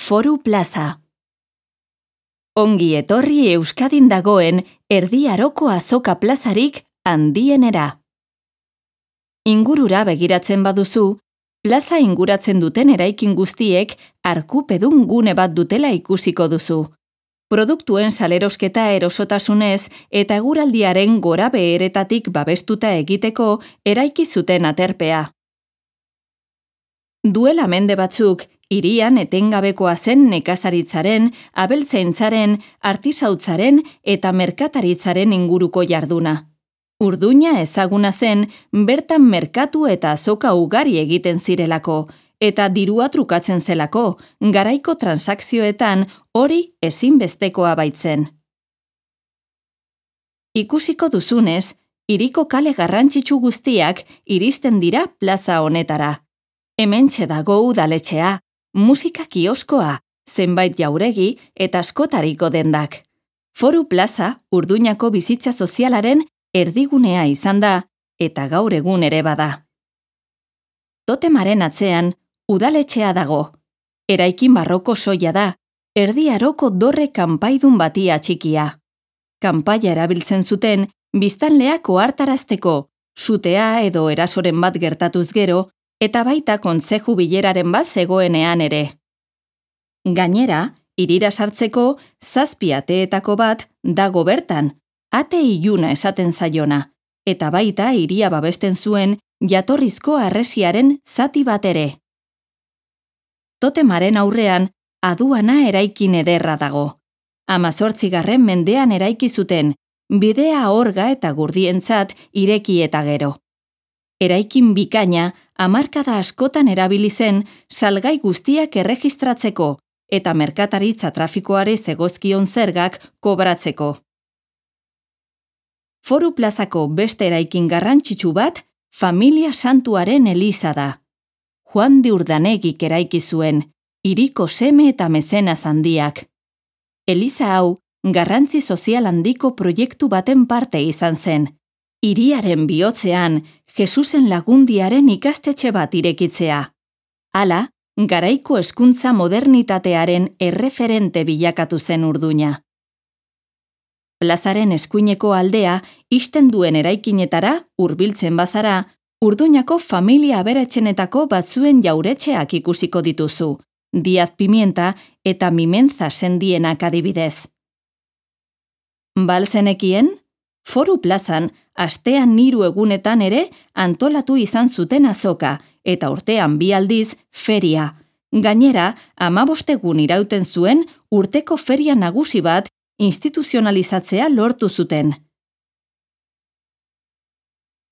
Foru Plaza. Ongi etorri Euskadin dagoen Erdi Aroko azoka plazarik handienera. Ingurura begiratzen baduzu, plaza inguratzen duten eraikin guztiek arkupedun gune bat dutela ikusiko duzu. Produktuen salerosketa erosotasunez eta eguraldiaren gora beheretatik babestuta egiteko eraiki zuten aterpea. Duela mende batzuk, hirian etengabekoa zen nekazaritzaren, abeltzaintzaren, artisautzaren eta merkataritzaren inguruko jarduna. Urduña ezaguna zen bertan merkatu eta azoka ugari egiten zirelako, eta dirua trukatzen zelako, garaiko transakzioetan hori ezinbestekoa baitzen. Ikusiko duzunez, hiriko kale garrantzitsu guztiak iristen dira plaza honetara. Hementxe dago udaletxea, musika kioskoa, zenbait jauregi eta askotariko dendak. Foru Plaza Urduñako bizitza sozialaren erdigunea izan da eta gaur egun ere bada. Totemaren atzean udaletxea dago. Eraikin barroko soila da, Erdi Aroko dorre kanpaidun bati atxikia. Kanpaia erabiltzen zuten biztanleak ohartarazteko, sutea edo erasoren bat gertatuz gero, eta baita kontzeju bileraren bat zegoenean ere. Gainera, hirira sartzeko 7 ateetako bat dago bertan, ate iluna esaten zaiona, eta baita hiria babesten zuen jatorrizko harresiaren zati bat ere. Totemaren aurrean aduana eraikin ederra dago. 18. mendean eraiki zuten, bidea orga eta gurdientzat ireki eta gero. Eraikin bikaina hamarkada askotan erabili zen salgai guztiak erregistratzeko eta merkataritza trafikoari zegozkion zergak kobratzeko. Foru Plazako beste eraikin garrantzitsu bat Familia Santuaren eliza da. Juan de Urdanegik eraiki zuen, hiriko seme eta mezenaz handiak. Eliza hau garrantzi sozial handiko proiektu baten parte izan zen. Hiriaren bihotzean, Jesusen Lagundiaren ikastetxe bat irekitzea. Hala, garaiko hezkuntza modernitatearen erreferente bilakatu zen Urduña. Plazaren eskuineko aldea, ixten duen eraikinetara, hurbiltzen bazara, Urduñako familia aberatsenetako batzuen jauretxeak ikusiko dituzu, Diaz Pimienta eta Mimenza sendienak adibidez. Balzenekien, Foru Plazan, astean 3 egunetan ere antolatu izan zuten azoka, eta urtean 2 aldiz feria. Gainera, 15 egun irauten zuen urteko feria nagusi bat instituzionalizatzea lortu zuten.